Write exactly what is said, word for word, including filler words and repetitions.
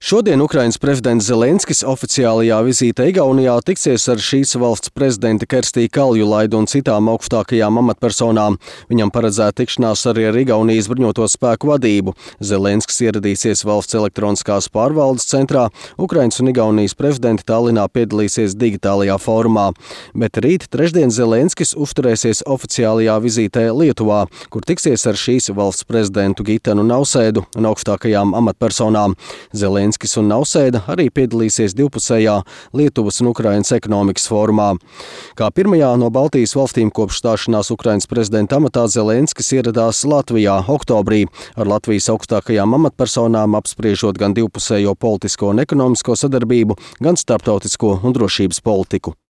Šodien Ukrainas prezidents Zelenskis oficiālajā vizītē Igaunijā tiksies ar šīs valsts prezidenti Kerstiju Kaljulaidu un citām augstākajām amatpersonām. Viņam paredzēta tikšanās arī ar Igaunijas bruņoto spēku vadību. Zelenskis ieradīsies valsts elektroniskās pārvaldes centrā. Ukrainas un Igaunijas prezidenti Tallinā piedalīsies digitālajā fórumā. Bet rīt trešdien Zelenskis uzturēsies oficiālajā vizītē Lietuvā, kur tiksies ar šīs valsts prezidentu Gitanu Nausēdu un augstākajām amatpersonām. Zelenskis Zelenskis un Nausēda arī piedalīsies divpusējā Lietuvas un Ukrainas ekonomikas fórumā. Kā pirmajā no Baltijas valstīm kopš stāšanās Ukrainas prezidenta amatā Zelenskis ieradās Latvijā oktobrī ar Latvijas augstākajām amatpersonām apspriežot gan divpusējo politisko un ekonomisko sadarbību, gan starptautisko un drošības politiku.